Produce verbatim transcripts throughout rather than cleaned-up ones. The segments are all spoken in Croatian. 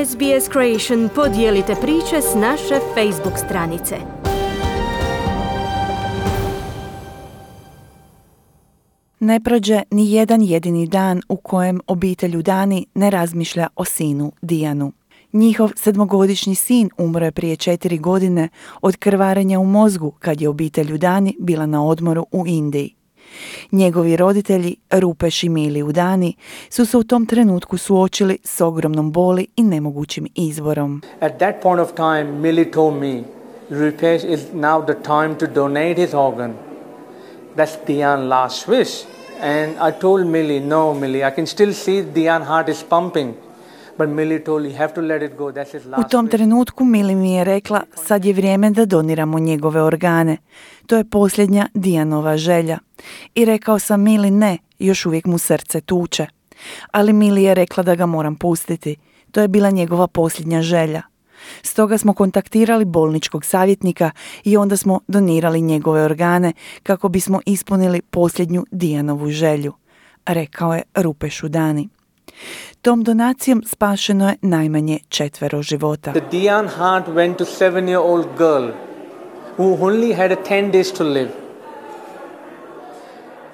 S B S Creation podijelite priče s naše Facebook stranice. Ne prođe ni jedan jedini dan u kojem obitelj Udani ne razmišlja o sinu Dianu. Njihov sedmogodišnji sin umro je prije četiri godine od krvarenja u mozgu kad je obitelj Udani bila na odmoru u Indiji. Njegovi roditelji, Rupesh i Mili Udani, su se u tom trenutku suočili s ogromnom boli i nemogućim izborom. At that point of time, Mili told me, Rupesh, is now the time to donate his organ. That's Dian's last wish. And I told Mili, no, Mili, I can still see Dian's heart is pumping. But Mili told, you have to let it go. That's his last U tom trenutku Mili mi je rekla, sad je vrijeme da doniramo njegove organe. To je posljednja Dianova želja. I rekao sam Mili ne, još uvijek mu srce tuče. Ali Mili je rekla da ga moram pustiti. To je bila njegova posljednja želja. Stoga smo kontaktirali bolničkog savjetnika i onda smo donirali njegove organe kako bismo ispunili posljednju Dianovu želju, rekao je Rupesh Udani. Tom donacijom spašeno je najmanje četvero života. The Dian heart went to seven-year-old girl who only had ten days to live.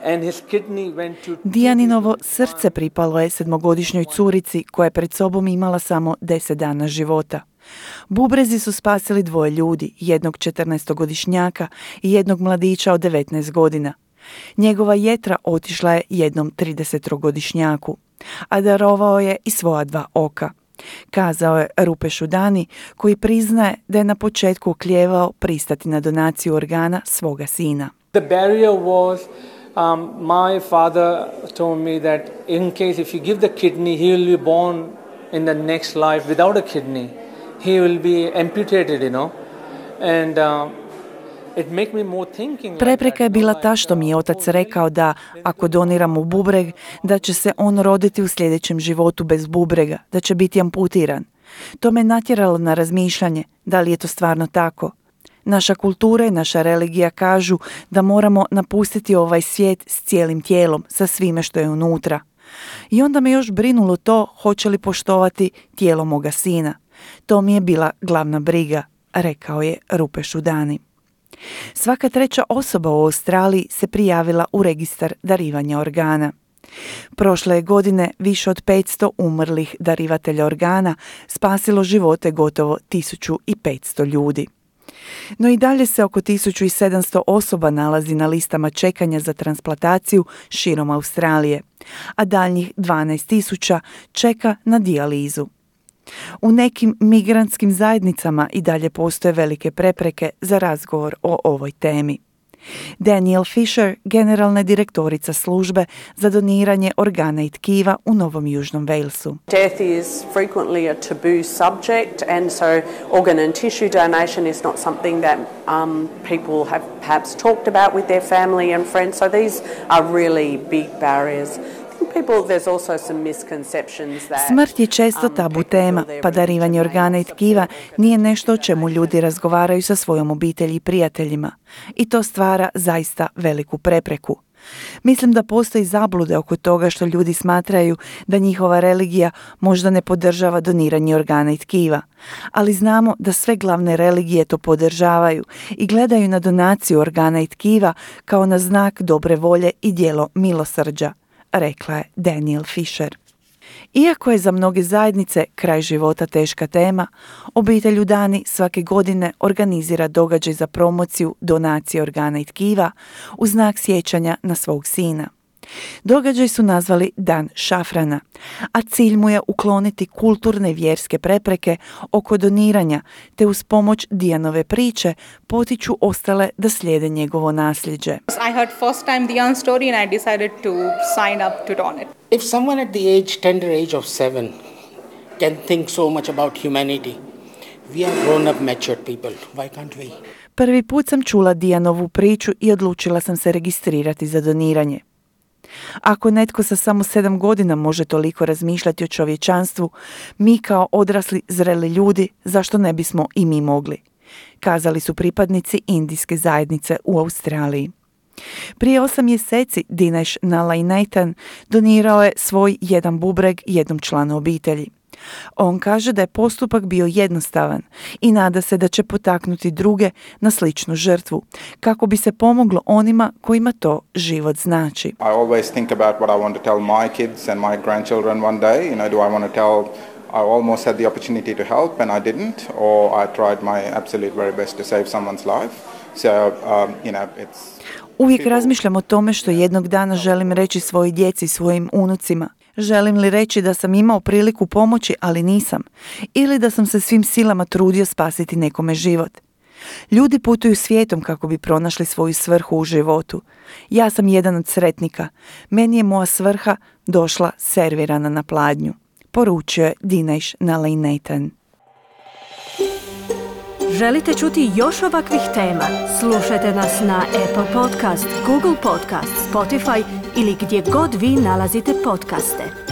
And his kidney went to... Dianinovo srce pripalo je sedmogodišnjoj curici koja je pred sobom imala samo deset dana života. Bubrezi su spasili dvoje ljudi, jednog četrnaestogodišnjaka i jednog mladića od devetnaest godina. Njegova jetra otišla je jednom tridesetogodišnjaku, a darovao je i svoja dva oka, kazao je Rupesh Udani, koji priznaje da je na početku oklijevao pristati na donaciju organa svoga sina. The barrier was um, my father told me that in case if you give the kidney, he will be born in the next life without a kidney. He will be amputated, you know. And um, Prepreka je bila ta što mi je otac rekao da ako doniramo bubreg, da će se on roditi u sljedećem životu bez bubrega, da će biti amputiran. To me natjeralo na razmišljanje, da li je to stvarno tako. Naša kultura i naša religija kažu da moramo napustiti ovaj svijet s cijelim tijelom, sa svime što je unutra. I onda me još brinulo to hoće li poštovati tijelo moga sina. To mi je bila glavna briga, rekao je Rupesh Udani. Svaka treća osoba u Australiji se prijavila u registar darivanja organa. Prošle je godine više od petsto umrlih darivatelja organa spasilo živote gotovo tisuću petsto ljudi. No i dalje se oko tisuću sedamsto osoba nalazi na listama čekanja za transplantaciju širom Australije, a daljnjih dvanaest tisuća čeka na dijalizu. U nekim migrantskim zajednicama i dalje postoje velike prepreke za razgovor o ovoj temi. Danielle Fisher, generalna direktorica službe za doniranje organa i tkiva u Novom Južnom Walesu. Death is frequently a taboo subject, and so organ and tissue donation is not something that um, people have perhaps talked about with their family and friends. So these are really big barriers. Smrt je često tabu tema, pa darivanje organa i tkiva nije nešto o čemu ljudi razgovaraju sa svojom obitelji i prijateljima. I to stvara zaista veliku prepreku. Mislim da postoji zablude oko toga što ljudi smatraju da njihova religija možda ne podržava doniranje organa i tkiva. Ali znamo da sve glavne religije to podržavaju i gledaju na donaciju organa i tkiva kao na znak dobre volje i djelo milosrđa, rekla je Danielle Fisher. Iako je za mnoge zajednice kraj života teška tema, obitelj Udani svake godine organizira događaj za promociju donacije organa i tkiva u znak sjećanja na svog sina. Događaj su nazvali Dan šafrana, a cilj mu je ukloniti kulturne i vjerske prepreke oko doniranja, te uz pomoć Dianove priče potiču ostale da slijede njegovo nasljeđe. I heard first time Dian's story and I decided to sign up to donate. If someone at the age, tender age of seven can think so much about humanity, we are grown up matured people. Why can't we? Prvi put sam čula Dianovu priču i odlučila sam se registrirati za doniranje. Ako netko sa samo sedam godina može toliko razmišljati o čovječanstvu, mi kao odrasli zreli ljudi, zašto ne bismo i mi mogli? Kazali su pripadnici indijske zajednice u Australiji. Prije osam mjeseci Dinesh Nalainathan donirao je svoj jedan bubreg jednom članu obitelji. On kaže da je postupak bio jednostavan i nada se da će potaknuti druge na sličnu žrtvu, kako bi se pomoglo onima kojima to život znači. I always think about what I want to tell my kids and my grandchildren one day. You know, do I want to tell I almost had the opportunity to help and I didn't, or I tried my absolute very best to save someone's life. So, um, you know, it's... Uvijek razmišljam o tome što jednog dana želim reći svojoj djeci, svojim unucima. Želim li reći da sam imao priliku pomoći, ali nisam, ili da sam se svim silama trudio spasiti nekome život. Ljudi putuju svijetom kako bi pronašli svoju svrhu u životu. Ja sam jedan od sretnika. Meni je moja svrha došla servirana na pladnju, poručio je Dinesh Nalainathan. Želite čuti još ovakvih tema? Slušajte nas na Apple Podcast, Google Podcast, Spotify ili gdje god vi nalazite podcaste.